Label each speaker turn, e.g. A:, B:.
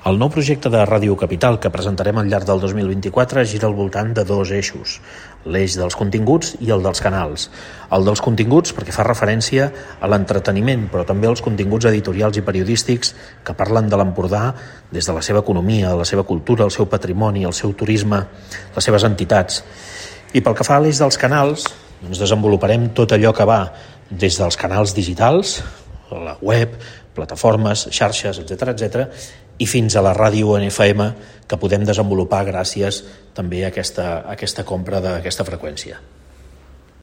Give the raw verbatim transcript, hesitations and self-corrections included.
A: El nou projecte de Ràdio Capital que presentarem al llarg del dos mil vint-i-quatre gira al voltant de dos eixos, l'eix dels continguts i el dels canals. El dels continguts perquè fa referència a l'entreteniment, però també als continguts editorials i periodístics que parlen de l'Empordà des de la seva economia, la seva cultura, el seu patrimoni, el seu turisme, les seves entitats. I pel que fa a l'eix dels canals, doncs desenvoluparem tot allò que va des dels canals digitals, la web, plataformes, xarxes, etcètera, etcètera, i fins a la ràdio en F M que podem desenvolupar gràcies també a aquesta, a aquesta compra d'aquesta freqüència.